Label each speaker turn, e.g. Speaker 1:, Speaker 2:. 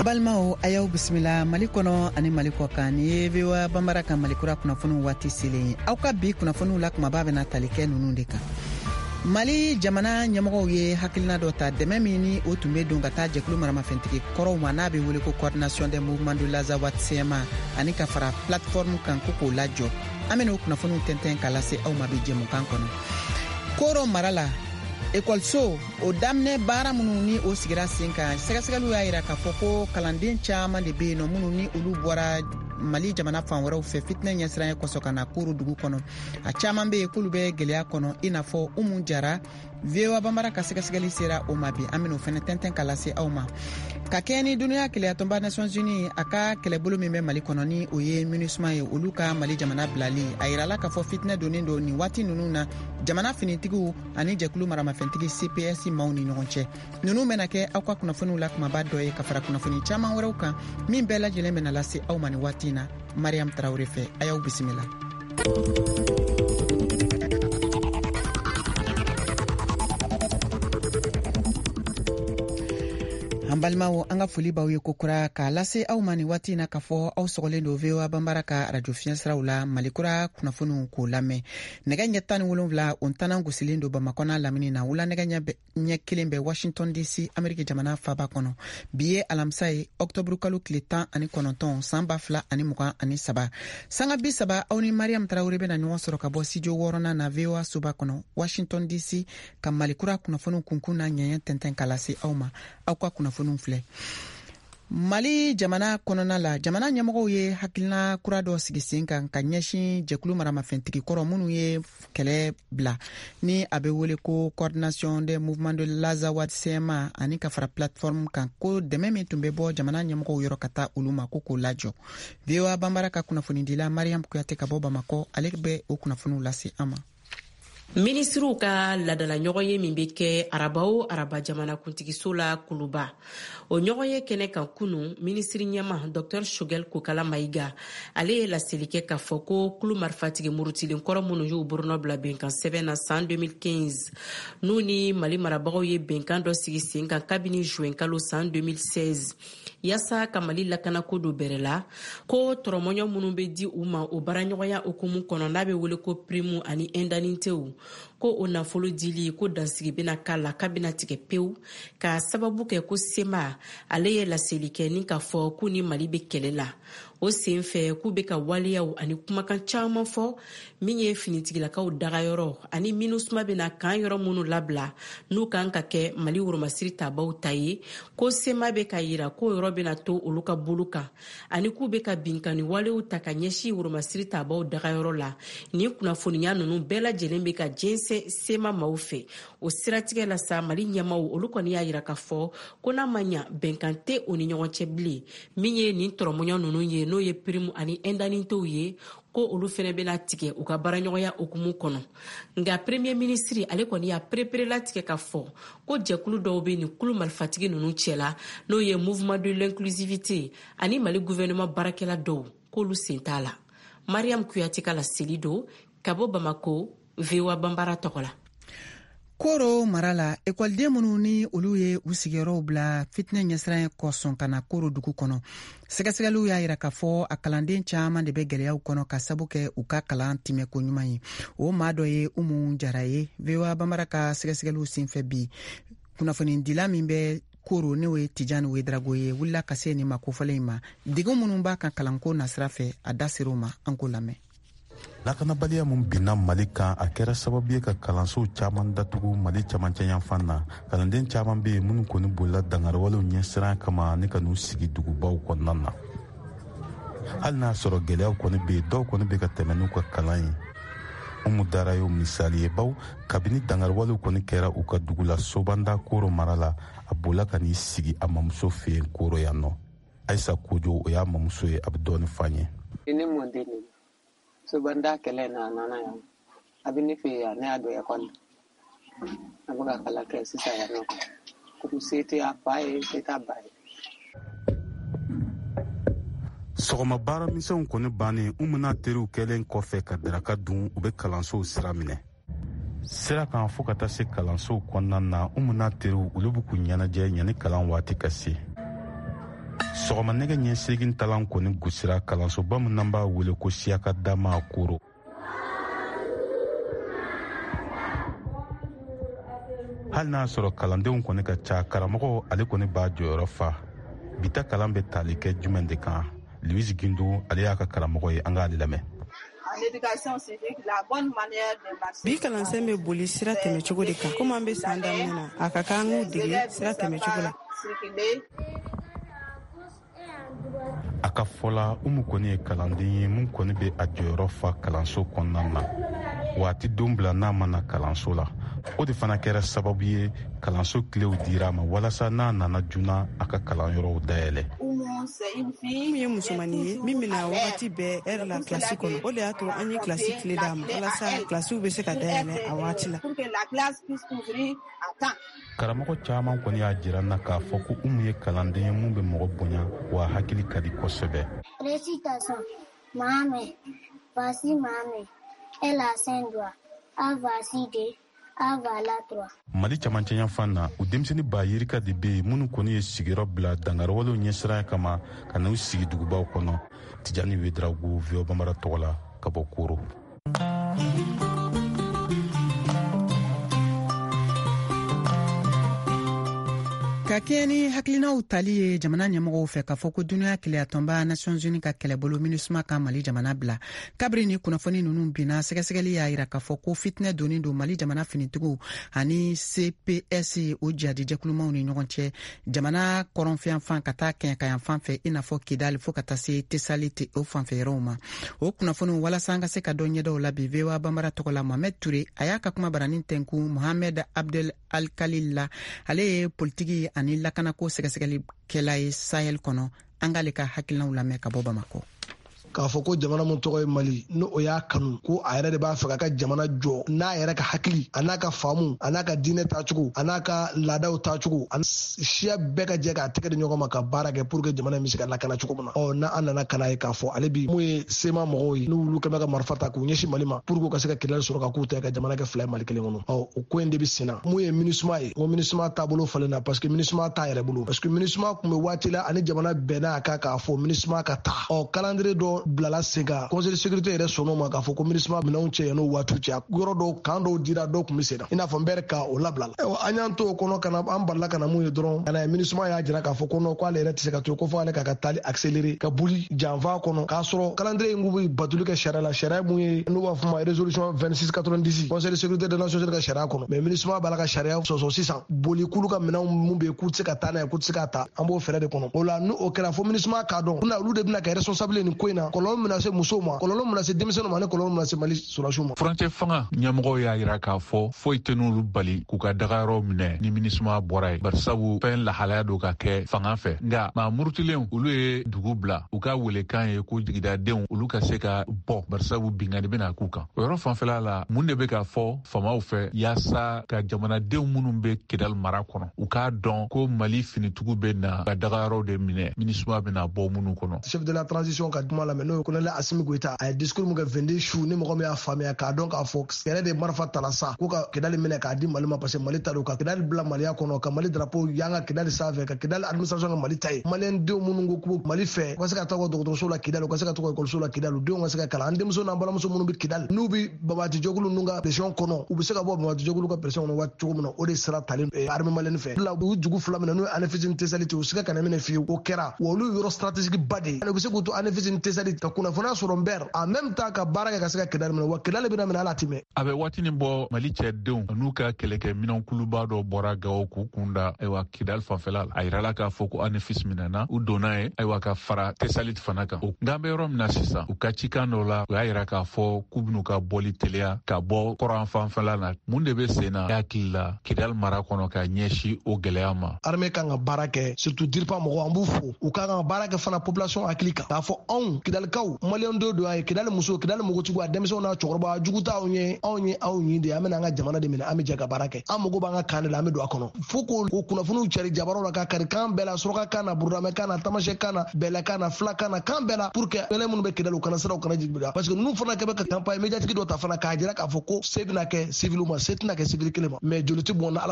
Speaker 1: Balimaw, a y'aw bisimila Mali kɔnɔ ani Mali kɔ kan. Nin ye VOA Banbara ka Malikura kunnafoniw waati selen ye. Aw ka bi kunnafoniw la kumaba bɛna tali kɛ ninnu de kan: Mali jamana ɲɛmɔgɔw ye hakilina dɔ ta, dɛmɛ min ni o tun bɛ don ka taa jɛkulu maramafɛntigi kɔrɔw ma, n'a bɛ wele ko Coordination des mouvements de l'Azawad CMA, ani ka fara plateforme kan, ko k'o lajɔ. An bɛna o kunnafoniw tɛntɛn ka lase aw ma bi jɛmukan kɔnɔ. Koro mara la, ekɔliso o daminɛ baara minnu ni o sigira sen kan, sɛgɛsɛgɛliw y'a yira k'a fɔ ko kalanden caman de bɛ yen nɔ minnu ni olu bɔra Mali jamana fan wɛrɛw fɛ fitinɛ ɲɛsiranya kosɔn ka na Koro dugu kɔnɔ. A caman bɛ yen k'olu bɛ gɛlɛya kɔnɔ, i n'a fɔ Umu Jara. VOA Banbara ka sɛgɛsɛgɛli sera o ma bi, an bɛn'o fɛnɛ tɛntɛn ka lase aw ma. Ka kɛɲɛ ni duniya kelenyatɔnba Nations Unies a ka kɛlɛbolo min bɛ Mali kɔnɔ, ni o ye MINUSMA ye, olu ka Mali jamana bilali, a yirala k'a fɔ fitinɛ donnen don nin waati ninnu na jamana finitigiw ani jɛkulu maramafɛntigi CPS maaw ni ɲɔgɔn cɛ. Ninnu bɛna kɛ aw ka kunnafoniw la kumaba dɔ ye, ka fara kunnafoni caman wɛrɛw kan min bɛɛ lajɛlen bɛna lase aw ma nin waati in na Mariam Tarawele fɛ. A y'aw bisimila. An balimaw, an ka foli b'aw ye kokura k'a lase aw ma nin waati in na k'a fɔ aw sɔgɔlen don VOA Banbara ka arajo fiɲɛsiraw la, Malikura kunnafoniw k'o lamɛn. Nɛgɛ ɲɛ 17 o ntanan gosilen don Bamakɔ n'a lamini na, wula nɛgɛ ɲɛ 1 bɛ Washington DC, Ameriki jamana faba kɔnɔ. Bi ye alamisa ye, ɔktɔburu kalo tile 19, san 2023. Sanga 30, aw ni Mariam Tarawele bɛna ɲɔgɔn sɔrɔ ka bɔ studio wɔɔrɔnan na VOA soba kɔnɔ, Washington DC, ka Malikura kunnafoniw kunkun n'a ɲɛɲɛ tɛntɛn ka lase aw ma. Aw ka kunnafoniw filɛ. Mali jamana kɔnɔna la, jamana ɲɛmɔgɔw ye hakilina kura dɔ sigi sen kan ka ɲɛsin jɛkulu maramafɛntigi kɔrɔ minnu ye kɛlɛ bila, ni a bɛ wele ko Coordination des mouvements de l'Azawad CMA, ani ka fara plateforme kan, ko dɛmɛ min tun bɛ bɔ jamana ɲɛmɔgɔw yɔrɔ ka taa olu ma, ko k'o lajɔ. VOA Banbara ka kunnafonidila Mariam Kuyate ka bɔ Bamakɔ, ale bɛ o kunnafoniw lase an ma.
Speaker 2: Minisiriw ka ladala ɲɔgɔnye min bɛ kɛ araba o araba jamanakuntigiso la Kuluba, o ɲɔgɔnye kɛnɛ kan kunu, minisiri ɲɛma Dr Choguel Kokala Mayiga, ale ye laseli kɛ k'a fɔ ko kulu marifatigi murutilen kɔrɔ minnu y'u bolonɔ bila bɛnkan sɛbɛn na san 2015, n'u ni Mali marabagaw ye bɛnkan dɔ sigi sen kan kabini juin kalo san 2016 yaasa ka Mali lakanako don bɛrɛ la, ko tɔrɔmɔɲɔ minnu bɛ di u ma o baaraɲɔgɔnya hukumu kɔnɔ, n'a bɛ wele ko prime ani indemnitéw, ko o nafolo dili, ko dansigi bɛna k'a la, k'a bɛna tigɛ pewu, ka sababu kɛ ko CMA ale ye laseli kɛ ni k'a fɔ k'u ni Mali bɛ kɛlɛ la. O sen fɛ, k'u bɛ ka waleyaw ani kumakan caman fɔ min ye finitigilakaw dagayɔrɔ ani MINUSMA bɛna kan yɔrɔ minnu labila, n'u kan ka kɛ Mali woromasiri tabaw ta ye, ko CMA bɛ ka yira k'o yɔrɔ bɛna to olu ka bolo kan, ani k'u bɛ ka binkanni walew ta ka ɲɛsin woromasiri tabaw dagayɔrɔ la. Nin kunnafoniya ninnu bɛɛ lajɛlen bɛ ka jɛnsɛn CMA maaw fɛ. O siratigɛ la sa, Mali ɲɛmaw olu kɔni y'a yira k'a fɔ ko n'a ma ɲa bɛnkan tɛ o ni ɲɔgɔn cɛ bilen, min ye nin tɔrɔmɔɲɔ ninnu ye, n'o ye prime ani indemnitéw ye, ko olu fɛnɛ bɛna tigɛ u ka baaraɲɔgɔnya hukumu kɔnɔ. Nka premier ministre ale kɔni y'a perepere latigɛ k'a fɔ ko jɛkulu dɔw bɛ nin kulu marifatigi ninnu cɛla, n'o ye Mouvement de l'inclusivité ani Mali gouvernement baarakɛla dɔw, k'olu sen t'a la. Mariam Kuyate ka laseli don ka bɔ Bamako, VOA Banbara tɔgɔ la.
Speaker 1: Koro mara la, ekɔliden minnu ni olu ye u sigiyɔrɔw bila fitinɛ ɲɛsiran kosɔn ka na Koro dugu kɔnɔ, sɛgɛsɛgɛliw y'a yira k'a fɔ a kalanden caman de bɛ gɛlɛyaw kɔnɔ ka sabu kɛ u ka kalan timɛko ɲuman ye. O maa dɔ ye Umu Jara ye. VOA Banbara ka sɛgɛsɛgɛliw senfɛ bi, kunnafonidila min bɛ Koro, n'o ye Tijani Wedrago ye, wulila ka se nin ma kofɔlen in ma. Degun minnu b'a kan kalanko nasira fɛ, a da ser'o ma. An k'o lamɛn.
Speaker 3: Lakanabaliya min binna Mali kan, a kɛra sababu ye ka kalansow caman datugu Mali camancɛ yanfan na. Kalanden caman bɛ yen minnu kɔni bolila dangariwalew ɲɛsiran kama ni ka n'u sigi dugubaw kɔnɔna na. Hali n'a sɔrɔ gɛlɛyaw kɔni bɛ yen, dɔw kɔni bɛ ka tɛmɛ n'u ka kalan ye. Umu Dara y'o misali ye, baw kabini dangariwalew kɔni kɛra u ka dugu la Sobanda, Koro mara la, a bolila ka n'i sigi a mamuso fɛ yen Koro yan nɔ. Ayisa Kojo, o y'a mamuso ye, a bɛ dɔɔni f'an ye.
Speaker 4: Ne mɔden de Sobanda kɛlɛ na, a nana yan, a bɛ ne fɛ yan, ne y'a don ekɔli la, a bɛ ka kalan kɛ sisan yan nɔ. Komi se tɛ a fa ye, se t'a ba ye.
Speaker 3: Sɔgɔma baaramisɛnw kɔni bannen, Umu n'a teriw kɛlen kɔfɛ ka daraka dun, u bɛ kalansow sira minɛ. Sira kan fo ka taa se kalansow kɔnɔna na, Umu n'a teriw olu bɛ k'u ɲɛnajɛ yanni kalan waati ka se. Sɔgɔma nɛgɛ ɲɛ 8 talan kɔni gosira kalansoba min n'an b'a wele ko Siyaka Dama Koro. Hali n'a sɔrɔ kalandenw kɔni ka ca, karamɔgɔ ale kɔni b'a jɔyɔrɔ fa. Bi ta kalan bɛ tali kɛ jumɛn de kan? Louise Gindo, ale y'a ka karamɔgɔ ye, an k'ale lamɛn.
Speaker 5: Bi kalansen bɛ boli sira tɛmɛcogo de kan. Komi an bɛ san daminɛ na, a ka kan an k'u dege sira tɛmɛcogo la.
Speaker 3: A ka fɔ la, Umu kɔni ye kalanden ye mun kɔni bɛ a jɔyɔrɔ fa kalanso kɔnɔna na. Waati don bila n'a ma na kalanso la, o de fana kɛra sababu ye kalanso kilew dira a ma walasa n'a nana joona a ka kalanyɔrɔw dayɛlɛ.
Speaker 5: Umu ye musomannin ye min bɛna wagati bɛɛ ɛri la kilasi kɔnɔ. O de y'a to an ye kilasi kile d'a ma walasa kilasiw bɛ se ka dayɛlɛ a waati la.
Speaker 3: Karamɔgɔ caman kɔni y'a jira n na k'a fɔ ko Umu ye kalanden ye mun bɛ mɔgɔ bonya, wa hakili ka di kosɛbɛ.
Speaker 6: Récitation. Ma main. Voici ma main. Elle a 5 doigts. A voici 2. A voilà 3.
Speaker 3: Mali camancɛyanfan na, u denmisɛnnin ba yirika de bɛ yen minnu kɔni ye sigiyɔrɔ bila dangarwalew ɲɛsiranya kama ka n'u sigi dugubaw kɔnɔ. Tijani Wedrago, VOA Bambara tɔgɔ la, ka bɔ Koro.
Speaker 1: Ka kɛɲɛ ni hakilinaw tali ye jamana ɲɛmɔgɔw fɛ k'a fɔ ko duniya kelenyatɔnba Nations Unies ka kɛlɛbolo MINUSMA ka Mali jamana bila. Kabiri ni kunnafoni ninnu binna, sɛgɛsɛgɛli y'a yira k'a fɔ ko fitinɛ donnen don Mali jamana finitigiw ani CPS, o jihadi jɛkulumaw ni ɲɔgɔn cɛ jamana kɔrɔnfɛyanfan ka taa kɛɲɛkayanfan fɛ, i n'a fɔ Kidali fo ka taa se Tesaliti o fanfɛ yɔrɔw ma. O kunnafoniw, walasa an ka se ka dɔ ɲɛdɔw la bi, VOA Bambara tɔgɔ la, Mohamed Toure a y'a ka kuma baranin tɛnku Mohamed Abdel Alkalil la. Ale ye politiki ani lakanako sɛgɛsɛgɛlikɛla ye Sahel kɔnɔ. An k'ale ka hakilinaw lamɛn ka bɔ Bamakɔ.
Speaker 7: K'a fɔ ko jamana min tɔgɔ ye Mali, n'o o y'a kanu ko a yɛrɛ de b'a fɛ k'a ka jamana jɔ n'a yɛrɛ ka hakili, a n'a ka faamu, a n'a ka diinɛ taacogo, a n'a ka laadaw taacogo, a siya bɛɛ ka jɛ k'a tɛgɛ di ɲɔgɔn ma ka baara kɛ pour que jamana in bɛ se ka lakana cogo min na. Ɔ n'a an nana ka na ye k'a fɔ ale bi mun ye CMA mɔgɔw ye, n'olu kɛn bɛ ka marifa ta k'u ɲɛsin Mali ma pour que u ka se ka Kidali sɔrɔ ka k'u ta ka jamana kɛ fila ye Mali kelen kɔnɔ. Ɔ o ko in de bɛ sen na. Mun ye MINUSMA ye, n ko MINUSMA taabolo falenna parce que MINUSMA t'a yɛrɛ bolo, parce que MINUSMA tun bɛ waati la ani jamana bɛnna a kan k'a fɔ MINUSMA ka taa. Ɔ calendrier dɔ bilala sen kan, conseil de sécurité yɛrɛ sɔnn'o ma k'a fɔ ko MINUSMA minɛnw cɛ yan'o waatiw cɛ. Yɔrɔ dɔw, kan dɔw dira, dɔw tun bɛ sen na, i n'a fɔ n bɛɛ ka o labila la. Ayiwa, an y'an to o kɔnɔ ka na, an balila ka na mun ye dɔrɔn, ka na MINUSMA y'a jira k'a fɔ ko non, k'ale yɛrɛ tɛ se ka to yen, ko fo ale k'a ka taali accélérer ka boli janfa kɔnɔ, k'a sɔrɔ calendrier in k'u bɛ batoli kɛ sariya la, sariya mun ye n'u b'a fɔ ma résolution 2690 conseil de sécurité des nations unies ka sariya kɔnɔ. Mais MINUSMA b'a la ka sariya sɔsɔ sisan, boli k'olu ka minɛnw mun bɛ yen k'u tɛ se ka taa n'a ye, k'u tɛ se k'a ta. An b'o fɛɛrɛ de kɔnɔ. O la, n'o kɛra, fo MINUSMA k'a dɔn olu de bɛna kɛ responsable nin ko in na, kɔlɔlɔ min bɛna se musow ma, kɔlɔlɔ min bɛna se denmisɛnninw ma, ani kɔlɔlɔ min bɛna se Mali sɔrɔdasiw ma.
Speaker 8: Furancɛ fanga ɲɛmɔgɔw y'a yira k'a fɔ foyi tɛ n'olu bali k'u ka dagayɔrɔw minɛ ni MINUSMA bɔra yen, barisabu fɛn lahalaya don ka kɛ fanga fɛ. Nka maa murutilenw, olu ye dugu bila, u ka welekan ye ko jigidadenw olu ka se ka bɔ, barisabu binkanni bɛna k'u kan. O yɔrɔ fanfɛla la, mun de bɛ ka fɔ faamaw fɛ yaasa ka jamanadenw minnu bɛ Kidali mara kɔnɔ, u k'a dɔn ko Mali finitigiw bɛ na ka dagayɔrɔw de minɛ, MINUSMA bɛna bɔ minnu kɔnɔ?
Speaker 7: Chef de la transition ka kuma lamɛn, n'o ye colonel Assimi Goïta, a ye discours min kɛ 22 su, ni mɔgɔ min y'a faamuya k'a dɔn k'a fɔ yɛrɛ de marifa tala sa ko ka Kidali minɛ k'a di Mali ma, parce que Mali ta don, ka Kidali bila Maliya kɔnɔ, ka Mali drapeau yanga Kidali sanfɛ, ka Kidali administration ka Mali ta ye. Maliyɛn denw minnu ko k'u Mali fɛ, u ka se ka taa u ka dɔgɔtɔrɔso la Kidali, u ka se ka taa u ka ekɔliso la Kidali, u denw ka se ka kalan. An denmuso n'an balimamuso minnu bɛ Kidali, n'u bɛ banbaanci jɛkulu ninnu ka pression kɔnɔ, u bɛ se ka bɔ banbaanci jɛkulu ka pression kɔnɔ waati cogo min na, o de sira talen armée malienne fɛ. La u dugu fila minɛ, n'o ye Anefis ni Tesaliti, u siga kana minɛ fiyewu. O kɛra wa olu yɔrɔ stratégique ba de ye. U bɛ se k'u to Anefis ni Tesaliti ka kunnafoniya sɔrɔ Nbɛr, en même temps ka baara kɛ ka se ka Kidali minɛ, wa Kidali bɛna minɛ, ala ti mɛn.
Speaker 8: A bɛ waatinin bɔ, Mali cɛdenw n'u ka kɛlɛkɛ minɛnkuluba dɔ bɔra Gawo k'u kun da ayiwa Kidali fanfɛla la. A yirala k'a fɔ ko Anefis minɛna, u donna ye ayiwa ka fara Tesaliti fana kan. Nka an bɛ yɔrɔ min na sisan, u ka cikan dɔ la, u y'a yira k'a fɔ k'u bɛn'u ka bɔli teliya ka bɔ kɔrɔn fanfɛla la. Mun de bɛ sen na hakili la Kidali mara kɔnɔ ka ɲɛsin o gɛlɛya ma?
Speaker 7: Armée kan ka baara kɛ, surtout DIRPA mɔgɔw, an b'u fo. U kan ka baara kɛ fana population hakili kan, k'a fɔ anw Kidalikaw, maliyɛn dɔ don, a ye Kidali muso, Kidali npogotigiw, a denmisɛnw n'a cɛkɔrɔba, a jugu t'anw ye, anw ye aw ɲin de ye. An bɛna an ka jamana de minɛ, an bɛ jɛ ka baara kɛ, an mago b'an ka kan de la, an bɛ don a kɔnɔ. Fo k'o kunnafoniw cari jabaraw la, ka kari kan bɛɛ la, suraka kan na, burudamɛ kan na, tamasɛ kan na, bɛlɛ kan na, fila kan na, kan bɛɛ la, pour que mɛlɛ minnu bɛ Kidali, u kana siran, u kana jigin bila, parce que ninnu fana kɛ bɛ ka campagne médiatique dɔ ta fana k'a jira k'a fɔ ko se bɛna kɛ civil ma, se tɛna kɛ civil kelen ma, mais joli tɛ bɔn na Ala.